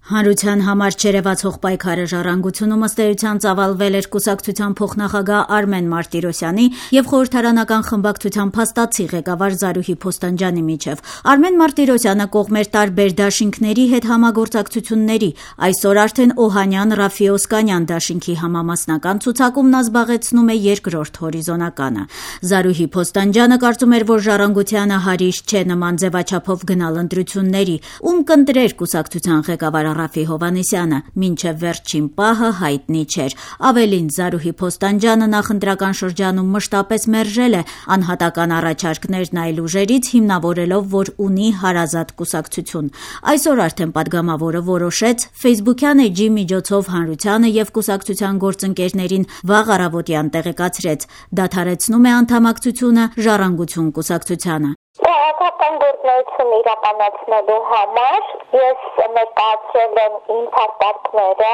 Հանրության համար չերևացող պայքարը ժառանգությունում ըստ էության ծավալվել էր կուսակցության փոխնախագահ Արմեն Մարտիրոսյանի եւ խորհրդարանական խմբակցության փաստացի ղեկավար Զարուհի Փոստանջյանի միջև։ Արմեն Մարտիրոսյանը կողմեր տարբեր դաշինքների հետ համագործակցությունների, այսօր արդեն Օհանյան-Ռաֆի-Օսկանյան դաշինքի համամասնական ցուցակում նա զբաղեցնում է երկրորդ հորիզոնականը։ Զարուհի Փոստանջյանը կարծում էր, որ ժառանգությանը հարիշ չէ նման ձևաչափով գնալ ընտրությունների, ում կընտրեր կուսակցության ղեկավար Ռաֆի Հովհաննիսյանը, մինչև վերջին պահը հայտնի չէր։ Ավելին, Զարուհի Փոստանջյանը նախընտրական շրջանում մշտապես մերժել է անհատական առաջարկներն այլ ուժերից, հիմնավորելով, որ ունի հարազատ կուսակցություն։ Այսօր արդեն պատգամավորը որոշեց Facebook-յան էջի միջոցով հանրությանը եւ կուսակցության գործընկերներին վաղ առավոտյան տեղեկացրեց, դադարեցնում է անդամակցությունը Ժառանգություն կուսակցությանը։ Քաղաքական գործունեություն իրականացնելու համար ես ներկայացրել եմ իմ փաստարկները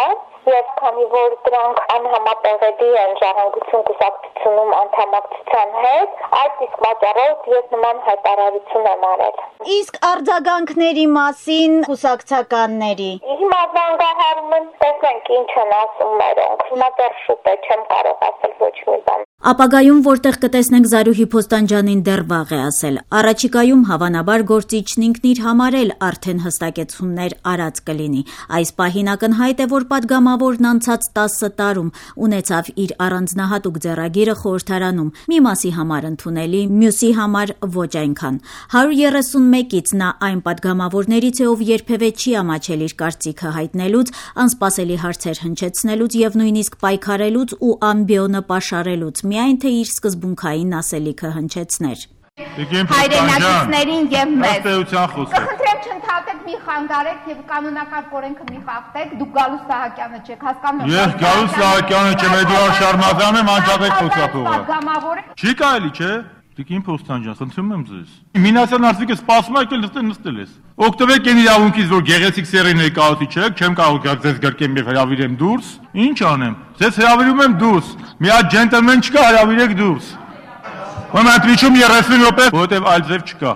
եւ քանի որ դրանք անհամատեղելի են Ժառանգություն կուսակցությունում անդամակցության հետ, այդ իսկ պատճառով ես նման հայտարարություն եմ արել։ Իսկ արձագանքների մասին կուսակցականների հիմա զանգահարում են, տեսնենք ինչ են ասում մերոնք։ Հիմա դեռ շուտ է, չեմ կարող ասել ոչ մի բան։ Ապագայում որտեղ կտեսնենք Զարուհի Փոստանջյանին դեռ վաղ է ասել։ Առաջիկայում հավանաբար գործիչն ինքն իր համար էլ արդեն հստակեցումներ արած կլինի։ Այս պահին ակնհայտ է, որ պատգամավորն անցած 10 տարում ունեցավ իր առանձնահատուկ ձեռագիրը խորհրդարանում, մի մասի համար ընդունելի, մյուսի համար ոչ այնքան։ 131-ից նա այն պատգամավորներից է, ով երբևէ չի ամաչել իր կարծիքը հայտնելուց, անսպասելի հարցեր հնչեցնելուց եւ նույնիսկ պայքարելուց ու ամբիոնը պաշարելուց, միայն թե իր սկզբունքային ասելիքը հնչեցներ։ Հայրենակիցներին եւ մեզ Խնդրեմ չընդհատեք, մի խանգարեք եւ կանոնական օրենքը մի խախտեք, դուք Գալուստ Սահակյանը չեք, հասկանում եք։ Ես Գալուստ Սահակյանը չեմ, Էդուարդ Շարմազանն եմ, անջատեք խոսափողը։ Չի կարելի, չէ՞։ Տիկին Փոստանջյան, խնդրում եմ ձեզ։ Մինասյան արծիքը սպասում եք, նստել ես։ Օգտվեք այն իրավունքից, որ գեղեցիկ սերի ներկայացուցիչ եք, չեմ կարող ձեզ գրկեմ եւ հրավիրեմ դուրս։ Ինչ անեմ։ Ձեզ հրավիրում եմ դուրս։ Մի հատ ջենտլմեն չկա, հրավիրեք դուրս։ Ո՞ւմ ընտրիչում 30 րոպե, որովհետեւ այլ ձև չկա։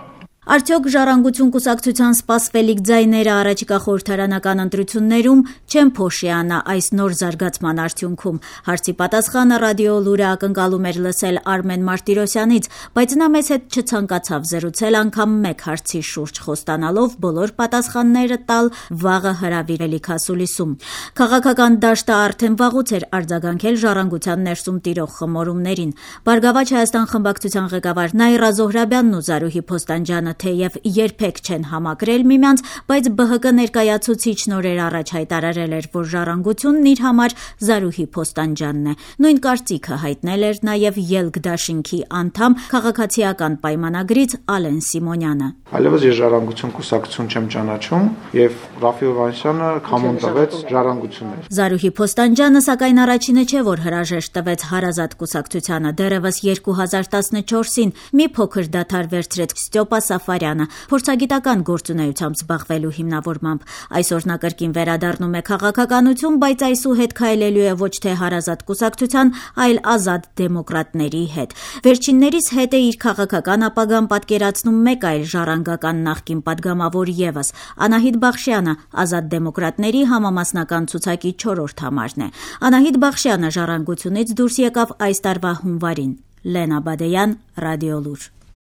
Արդյոք Ժառանգություն կուսակցության սպասվելիք ձայները առաջիկա խորհրդարանական ընտրություններում չեն փոշիանա այս նոր զարգացման արդյունքում։ Հարցի պատասխանը ռադիո լուրը ակնկալում էր լսել Արմեն Մարտիրոսյանից, բայց նա մեզ հետ չցանկացավ զրուցել անգամ մեկ հարցի շուրջ, խոստանալով բոլոր պատասխանները տալ վաղը հրավիրելիք ասուլիսում։ Քաղաքական դաշտը արդեն վաղուց էր արձագանքել Ժառանգության ներսում տիրող խմորումներին։ Բարգավաճ Հայաստան խմբակցության ղեկավար Նաիրա Զոհրաբյանն ու Զարուհի Փոստանջյանը թեև երբեք չեն համակրել միմյանց, բայց ԲՀԿ ներկայացուցիչ նորեր առաջ հայտարարել էր, որ Ժառանգությունն իր համար Զարուհի Փոստանջյանն է։ Նույն կարծիքը հայտնել էր նաև Ելք դաշինքի անդամ քաղաքացիական պայմանագրից Ալեն Սիմոնյանը։ Այլևս ես Ժառանգություն կուսակցություն չեմ ճանաչում եւ Ռաֆի Հովհաննիսյանը կամոն տվեց Ժառանգություններ։ Զարուհի Փոստանջյանը սակայն առաջինը չէ, որ հրաժեշտ տվեց հարազատ կուսակցությանը։ Դեռևս 2014-ին մի փոքր դադար վերցրեց Ստյոպա Սաֆարյանը, փորձագիտական գործունեությամբ զբաղվելու հիմնավորմամբ։ Այսօր նա կրկին վերադառնում է քաղաքականություն, բայց այսուհետ քայլելու է ոչ թե հարազատ կուսակցության, այլ ազատ դեմոկրատների հետ։ Վերջիններիս հետ է իր քաղաքական ապագան պատկերացնում մեկ այլ ժառանգական նախկին պատգամավոր եւս՝ Անահիտ Բախշյանը, ազատ դեմոկրատների համամասնական ցուցակի 4-րդ համարն է։ Անահիտ Բախշյանը Ժառանգությունից դուրս եկավ այս տարվա հունվարին։ Լենա Բադեյան, Ռադիո լուր։